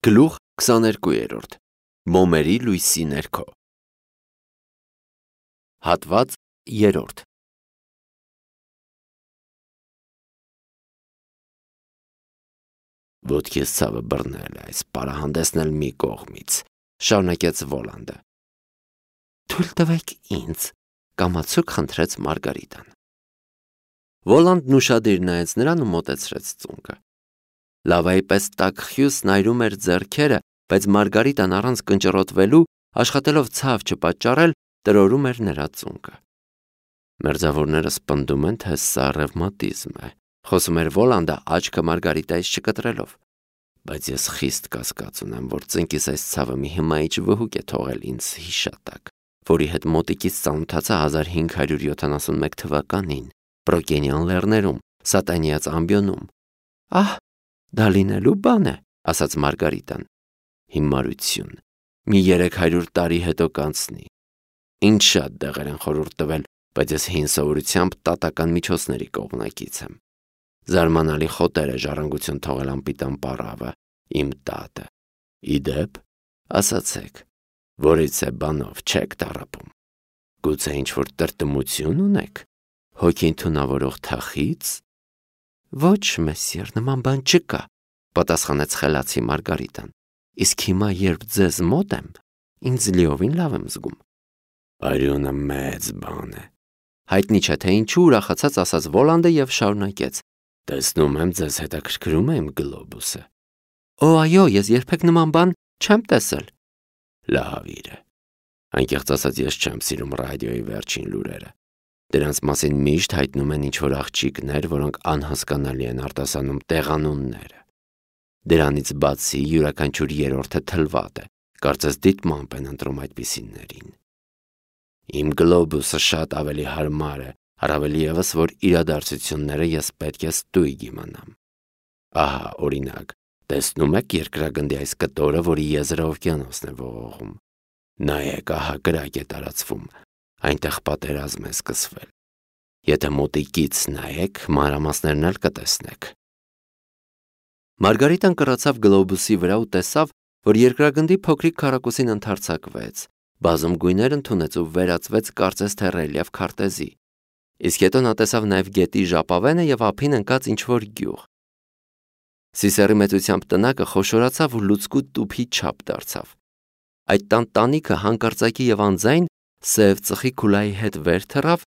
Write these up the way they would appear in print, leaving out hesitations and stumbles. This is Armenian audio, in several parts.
Գլուխ 22 Մոմերի լույսի ներքո Հատված 3 Ոտքիս ցավը բռնել է, այս պարահանդեսն էլ մի կողմից, շարունակեց Վոլանդը։ Թույլ տվեք ինձ, կամացուկ խնդրեց Մարգարիտան։ Վոլանդն ուշադիր նայեց նրան ու մոտեցրեց ծունկը։ Լավայի պես տաք խյուս նայրում էր ձեռքերը, բայց Մարգարիտան առանց կնճռոտվելու, աշխատելով ցավ չպատճառել, տրորում էր նրա ծունկը։ Մերձավորները սպնդում են, թե սա ռևմատիզմ է, խոսում էր Վոլանդը աչքը Մարգարիտայից չկտրելով, բայց ես խիստ կասկած ունեմ, որ ծնկիս այս ցավը մի հմայիչ վհուկ է թողել ինձ հիշատակ, որի հետ մոտիկից ծանոթացա 1571 թվականին, Պրոկենյան լեռներում, Սատանիած ամբիոնում։ Ահ, դա լինելու բան է, ասաց Մարգարիտան։ Հիմարություն, մի 300 տարի հետո կանցնի։ Ինչ շատ դեղեր են խորհուրդ տվել, բայց ես հին սովորությամբ տատական միջոցների կողմնակից եմ։ Զարմանալի խոտեր է ժառանգություն թողել անպիտան պառավը, իմ տատը։ Իդեպ, ասացեք, որից է բանով չեք տառապում։ Գուցե ինչ-որ տրտմություն ունեք, հոգին թունավորող թախից։ Ոչ, մեսիեր, նման բան չկա, պատասխանեց խելացի Մարգարիտան։ Իսկ հիմա, երբ ձեզ մոտ եմ, ինձ լիովին լավ եմ զգում։ Արյունը մեծ բան է։ Հայտնի չէ, թե ինչու ուրախացած ասաց Վոլանդը եւ շարունակեց. Տեսնում եմ, ձեզ հետաքրքրում է իմ գլոբուսը։ Օ, այո, ես երբեք նման բան չեմ տեսել։ Լավ է։ Անկեղծ ասած, ես չեմ սիրում ռադիոյի վերջին լուրերը։ Դրանց մասին միշտ հայտնում են ինչ-որ աղջիկներ, որոնք անհասկանալի են արտասանում տեղանունները։ Դրանից բացի յուրաքանչյուր երրորդը թլված է, կարծես դիտմամբ են ընտրում այդպիսիներին։ Իմ գլոբուսը շատ ավելի հարմար է, առավել ևս, որ իրադարձությունները ես պետք է ստույգ իմանամ։ Ահա, օրինակ, տեսնում եք երկրագնդի այս կտորը, որի եզրը օվկիանոսն է ողողում։ Նայեք, ահա կրակ է տարածվում, այնտեղ պատերազմ է սկսվել։ Եթե մոտիկից նայեք, մանրամասներն էլ կտեսնեք։ Մարգարիտան կռացավ գլոբուսի վրա ու տեսավ, որ երկրագնդի փոքրիկ քառակուսին ընդարձակվեց, բազում գույներ ընդունեց ու վերածվեց կարծես թե ռելիեֆ քարտեզի։ Իսկ հետո նա տեսավ նաև գետի ժապավենը եւ ափին ընկած ինչ-որ գյուղ։ Սիսեռի մեծությամբ տնակը խոշորացավ ու լուցկու տուփի չափ դարձավ։ Այդ տանտանիքը հանկարծակի եւ անձայն սև ծխի քուլայի հետ վեր թռավ,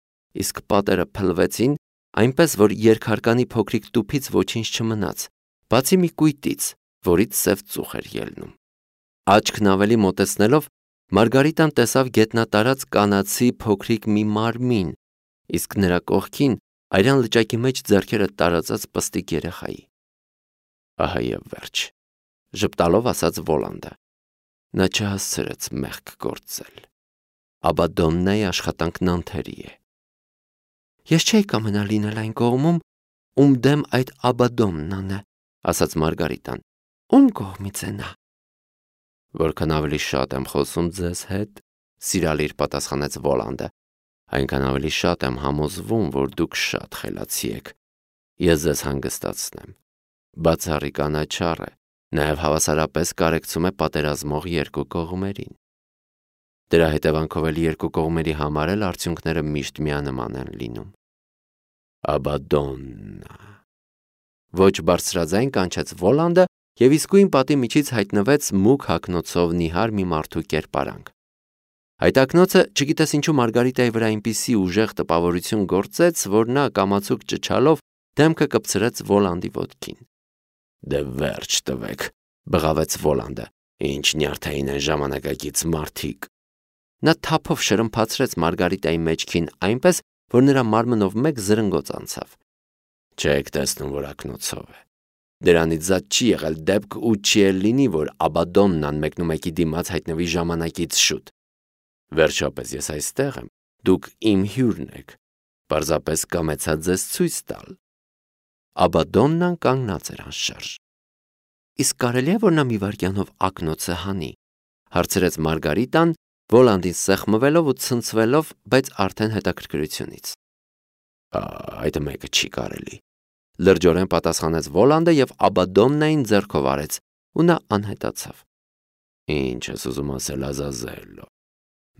իսկ պատերը փլվեցին, այնպես որ երկհարկանի փոքրիկ տուփից ոչինչ չմնաց, բացի մի կույտից, որից սև ծուխ էր ելնում։ Աչքն ավելի մոտեցնելով, Մարգարիտան տեսավ գետնատարած կանացի փոքրիկ մի մարմին, իսկ նրա կողքին արյան լճակի մեջ ձեռքերը տարածած պստիկ երեխայի։ Ահա եւ վերջ, ժպտալով ասաց Վոլանդը։ Նա չհասցրեց մեղք գործել։ Աբադոննայի աշխատանքն անթերի է։ Ես չէի կամենա լինել այն կողմում, ում դեմ այդ Աբադոմնան է, ասաց Մարգարիտան։ Ում կողմից է նա։ Որքան ավելի շատ եմ խոսում ձեզ հետ, սիրալիր պատասխանեց Վոլանդը, այնքան ավելի շատ եմ համոզվում, որ դուք շատ խելացի եք։ Ես ձեզ հանգստացնեմ։ Բացառիկ անաչառ է, նաև հավասարապես կարեկցում է պատերազմող երկու կողմերին։ Դրա հետևանքով էլ երկու կողմերի համար էլ արդյունքները միշտ միանման են լինում։ Աբադոննա։ Ոչ բարձրաձայն կանչեց Վոլանդը եւ իսկույն պատի միջից հայտնվեց մուգ հագնոցով նիհար մի մարդու կերպարանք։ Այդ ակնոցը, չգիտես ինչու Մարգարիտայի վրա այնպիսի ուժեղ տպավորություն գործեց, որ նա կամացուկ ճչալով դեմքը կպցրեց Վոլանդի ոտքին։ Դե վերջ տվեք, բղավեց Վոլանդը, ինչ նյարդային են ժամանակակից մարդիկ։ Նա թափով շրմփացրեց Մարգարիտայի մեջքին այնպես, որ նրա մարմնով մեկ զրնգոց անցավ։ Չեք տեսնում, որ ակնոցով է։ Դրանից զատ չի եղել դեպք ու չի էլ լինի, որ Աբադոմնան մեկնումեկի դիմաց հայտնվի ժամանակից շուտ։ Վերջապես ես այստեղ եմ, դուք իմ հյուրն եք, պարզապես կամեցա ձեզ ցույց տալ։ Աբադոմնան կանգնած էր անշարժ։ Իսկ կարելի է, որ նա մի վայրկյանով ակնոցը հանի, հարցրեց Մարգարիտան, Վոլանդին սեղմվելով ու ցնցվելով, բայց արդեն հետաքրքրությունից։ Այդ մեկը չի կարելի։ Լրջորեն պատասխանեց Վոլանդը եւ Աբադոմնային ձեռքով արեց, ու նա անհետացավ։ Ինչ ես ուզում ասել, Ազազելո։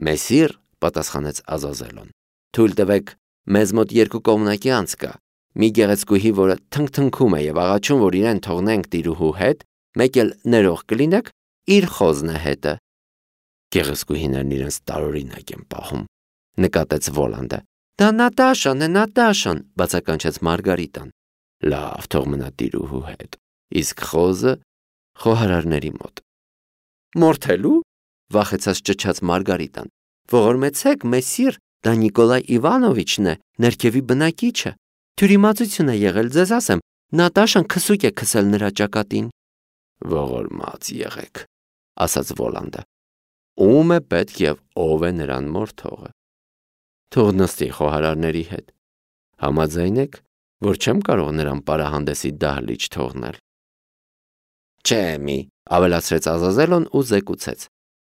Մեսիր, պատասխանեց Ազազելոն, թույլ տվեք, մեզ մոտ 2 կողմնակի անց կա, մի գեղեցկուհի, որը թնգթնգում է եւ աղաչում, որ իրեն թողնենք տիրուհու հետ, մեկ էլ ներող կլինեք, իր խոզն է հետը։ Գեղեցկուհիներն իրենց տարօրինակ են պահում, նկատեց Վոլանդը։ Դա Նատաշան է, Նատաշան, բացականչեց Մարգարիտան։ Լավ, թող մնա տիրուհու հետ, իսկ խոզը խոհարարների մոտ։ Մորթելու, վախեցած ճչաց Մարգարիտան։ Ողորմեցեք, մեսիր, դա Նիկոլայ Իվանովիչն է, ներքևի բնակիչը։ Թյուրիմացություն է եղել, ձեզ ասեմ, Նատաշան քսուկ է քսել նրա ճակատին։ Ողորմած եղեք, ասաց Վոլանդը։ Ում է պետք եւ ով է նրան մորթողը։ Թող նստի խոհարարների հետ։ Համաձայն եք, որ չեմ կարող նրան պարահանդեսի դահլիճ թողնել։ Չէ, մի, ավելացրեց Ազազելոն ու զեկուցեց։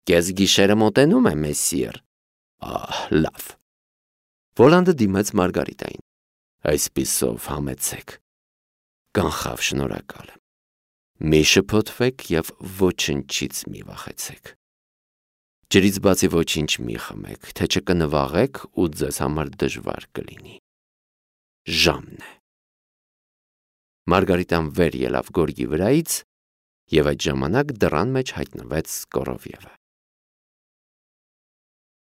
Կես գիշերը մոտենում է, մեսիր։ Լավ։ Վոլանդը դիմեց Մարգարիտային։ Այսպիսով համեցեք։ Կանխավ, շնորհակալ եմ։ Մի շփոթվեք եւ ոչնչից մի վախեցեք։ Ջրից բացի ոչինչ մի խմեք, թե չկնվաղեք ու ձեզ համար դժվար կլինի։ Ժամն է։ Մարգարիտան վեր ելավ գորգի վրայից եւ այդ ժամանակ դռան մեջ հայտնվեց Կորովյևը։